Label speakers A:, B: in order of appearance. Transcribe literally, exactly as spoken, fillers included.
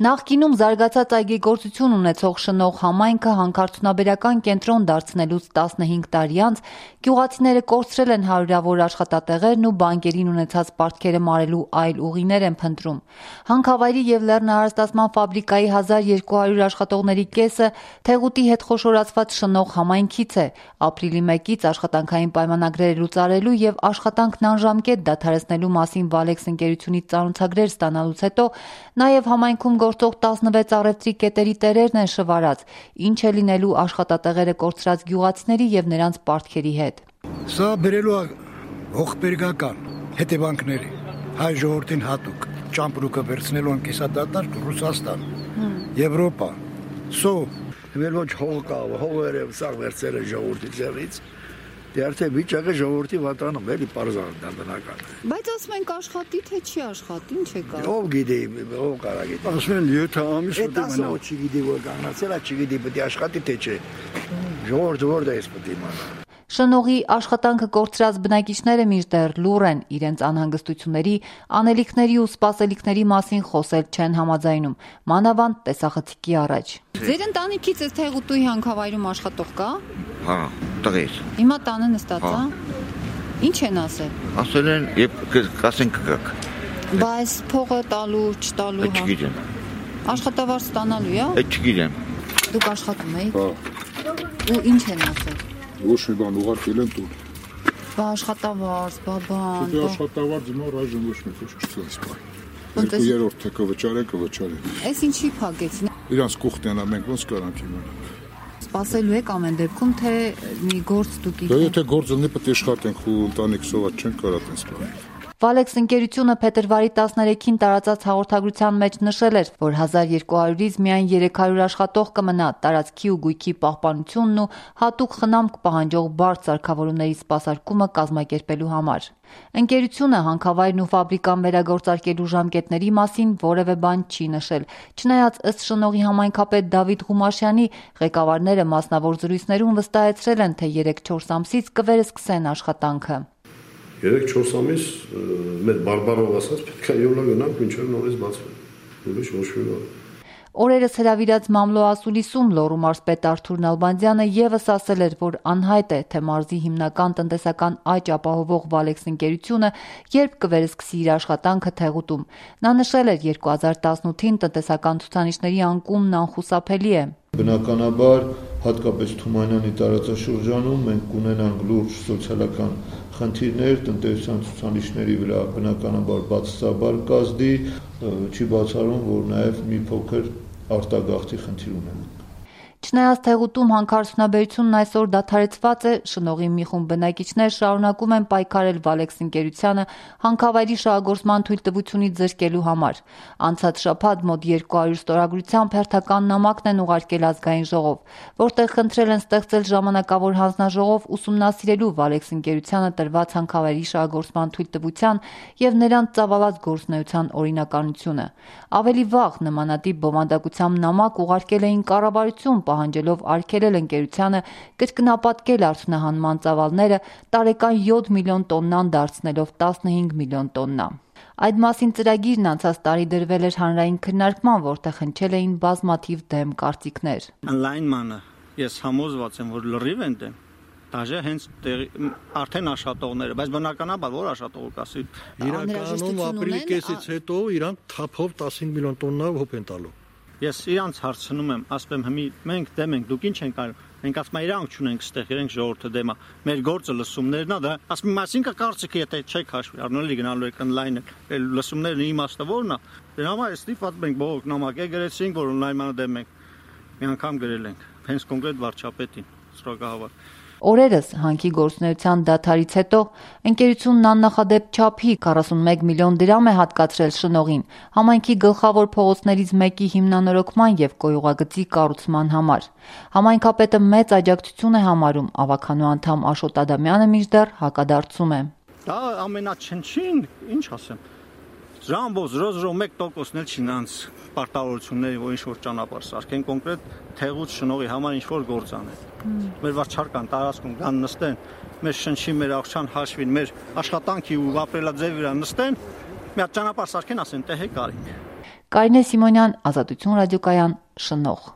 A: Նախկինում զարգացած այգեգործություն ունեցող շնող համայնքը հանքարդյունաբերական կենտրոն դարձնելուց տասնհինգ տարի անց գյուղացիները կորցրել են հարյուրավոր աշխատատեղերն ու բանկերին ունեցած պարտքերը մարելու այլ ուղիներ են փնտրում։ Հանքավայրի և լեռնահարստացման ֆաբրիկայի հազար երկու հարյուր աշխատողների կեսը Թեղուտի հետ խոշորացված շնող համայնքից է։ Ապրիլի մեկից աշխատանքային պայմանագրեր լուծարելու և աշխատանքն անժամկետ դադարեցնելու մասին Valex ընկերությունից ծանոթագրեր ստանալուց հետո նաև համայնքում գործող տասնվեց առևտրի կետերի տերերն են շվարած, ինչ է լինելու աշխատատեղերը կորցրած գյուղացիների և նրանց պարտքերի հետ։
B: Սա բերելու ողբերգական հետևանքների հայ ժողովրդին հատուկ ճամպրուկը վերցնելու են կիսադատարկ Ռուսաստան, Եվրոպա, սո
C: Մեր ոչ հող կա, հողերը սա վերցել է ժողովրդի ձեռից, դե արդեն վիճակը ժողովրդի վատանում էլի պարզան դա բնական։
A: Բայց ասում ենք աշխատի, թե չի աշխատի, ինչ է կա։
C: Ով գիտի, ով կարա գիտի։
B: Ասում են յոթ ամիս
C: պետք է մնա։ Դա չգիտի որ կանգնացել է, չգիտի պետք է աշխատի թե չէ։ Ժողովուրդը որտե է պետք է իմանա։
A: Շնողի աշխատանքը կորցրած բնակիչները մինչդեռ լուռ են, իրենց անհանգստությունների, անելիքների ու սպասելիքների մասին խոսել չեն համաձայնում, մանավանդ տեսախցիկի առաջ։ Ձեր ընտանիքից է Թեղուտուի հանքավայրում աշխատող կա։
D: Հա, տղես։
A: Հիմա տանը նստած է։ Ինչ են ասել։
D: Ասել են, երբ կասեն կգաք։
A: Բայց փողը տալու, չտալու
D: հա։ Չգիտեմ։
A: Աշխատավարձ ստանալու է։
D: Այդ չգիտեմ։
A: Դուք աշխատում եք։ Հա։ Ու ինչ են ասել։
E: Ոչ մի բան ուղարկել են տուն։
A: Բա աշխատավարձ, բա բան։
E: Դե աշխատավարձ հիմա ռաժն ոչ մի քիչ չցած բան։ Երկու երրորդ թե կվճարե, կվճարե։
A: Էս ինչի փակեցին։
E: Իրանց կուխտն է, մենք ոնց կարանք իմանալ։
A: Սպասելու եք ամեն դեպքում, թե մի գործ դուք
E: եք։ Դե եթե գործ ունի, պետք է աշխատենք ու ընտանիք սոված չենք կարող տես բան։
A: Valex ընկերությունը փետրվարի տասներեքին տարածած հաղորդագրության մեջ նշել էր, որ հազար երկու հարյուրից միայն երեք հարյուր աշխատող կմնա, տարածքի ու գույքի պահպանությունն ու հատուկ խնամք պահանջող բարդ սարքավորումների սպասարկումը կազմակերպելու համար։ Ընկերությունը հանքավայրն ու ֆաբրիկան վերագործարկելու ժամկետների մասին որևէ բան չի նշել, չնայած ըստ շնողի համայնքապետ Դավիթ Ղումաշյանի ղեկավարները մասնավոր զրույցներում վստահեցրել են, թե երեք-չորս ամսից կվերսկսեն աշխատանքը։
F: երեք-չորս ամիս մեր բարբարով ասած պետք է յոլա գնանք մինչև նորից բացվեն։ Ուրիշ ոչ մի բան։
A: Օրերս հրավիրած Մամլո ասուլիսում Լոռու մարզպետ Արթուր Նալբանդյանը ևս ասել էր, որ անհայտ է, թե մարզի հիմնական տնտեսական աճ ապահովող Valex ընկերությունը երբ կվերսկսի իր աշխատանքը Թեղուտում։ Նա նշել էր երկու հազար տասնութին տնտեսական ցուցանիշների անկումն անխուսափելի է։
G: Բնականաբար, հատկապես Թումանյանի տարածաշրջանում մենք կունենանք լուրջ սոցիալական խնդիրներ, տնտեսական ցուցանիշների վրա բնականաբար բացասաբար կազդի, չի բացառում, որ նաև մի փոքր արտագաղթի խնդիր ունենանք։
A: Չնայած Թեղուտում հանքարդյունաբերությունն այսօր դադարեցված է, շնողի մի խումբ բնակիչներ շարունակում են պայքարել Valex ընկերությանը հանքավայրի շահագործման թույլտվությունից զրկելու համար։ Անցած շաբաթ մոտ երկու հարյուր ստորագրությամբ հերթական նամակն են ուղարկել ազգային ժողով, որտեղ խնդրել են ստեղծել ժամանակավոր հանձնաժողով ուսումնասիրելու Valex ընկերությանը տրված հանքավայրի շահագործման թույլտվության և նրանց ծավալած գործունեության օրինականությունը։ Ավելի վաղ նմանատիպ բովանդակությամբ նամակ ուղարկել էին կառավարություն, պահանջելով արգելել ընկերությանը կրկնապատկել արդյունահանման ծավալները տարեկան յոթ միլիոն տոննան դարձնելով տասնհինգ միլիոն տոննա։ Այդ մասին ծրագիրն անցած տարի դրվել էր հանրային քննարկման, որտեղ հնչել էին բազմաթիվ դեմ կարծիքներ։
H: Ընդլայնմանը ես համոզված եմ, որ լրիվ են դեմ։ Դաժե հենց արդեն աշխատողները, բայց բնականաբար որ աշխատող կասի։
B: Իրականում ապրիլի կեսից հետո իրանք թափով տասնհինգ միլիոն տոննա հոփ են տալու։
H: Ես իրանց հարցնում եմ, ասում եմ, հիմի մենք դեմ ենք, դուք ինչ ենք արում։ Մենք ասում ենք, իրանք չունենք ստեղ, իրենք ժողովուրդը դեմ է։ Մեր գործը լսումներն է, դա ասում եմ, այսինքն կարծիքը եթե չեք հաշվի, առնելի գնալու եք online, այլ լսումներն իմաստը որն է։ Դրա համար ստիպված ենք բողոք նամակ գրեցինք, որ online-ը դեմ ենք։ Մի անգամ գրել ենք, հենց կոնկրետ վարչապետին, սրագահավար։
A: Օրերս հանքի գործունեության դադարից հետո ընկերությունն աննախադեպ չափի քառասունմեկ միլիոն դրամ է հատկացրել շնողին համայնքի գլխավոր փողոցներից մեկի հիմնանորոգման և կոյուղագծի կառուցման համար։ Համայնքապետը մեծ աջակցություն է համարում, ավականու անդամ Աշոտ Ադամյանը մինչդեռ հակադարձում է։
H: Դա ամենաչնչին, ինչ ասեմ, Ժամբո զրո զրո մեկ տոկոսն էլ չի նրանց պարտավորությունների, որ ինչ-որ ճանապարհ սարքեն, կոնկրետ Թեղուտ շնողի համար ինչ-որ գործ անեն։ Մեր վարչական տարածքում կան նստեն, մեր շնչի, մեր աղջան հաշվին, մեր աշխատանքի ու ապրելաձևի վրա նստեն, մի հատ ճանապարհ սարքեն, ասեն, տե հեք արինք։
A: Կարինե Սիմոնյան, Ազատություն ռադիոկայան, Շնող։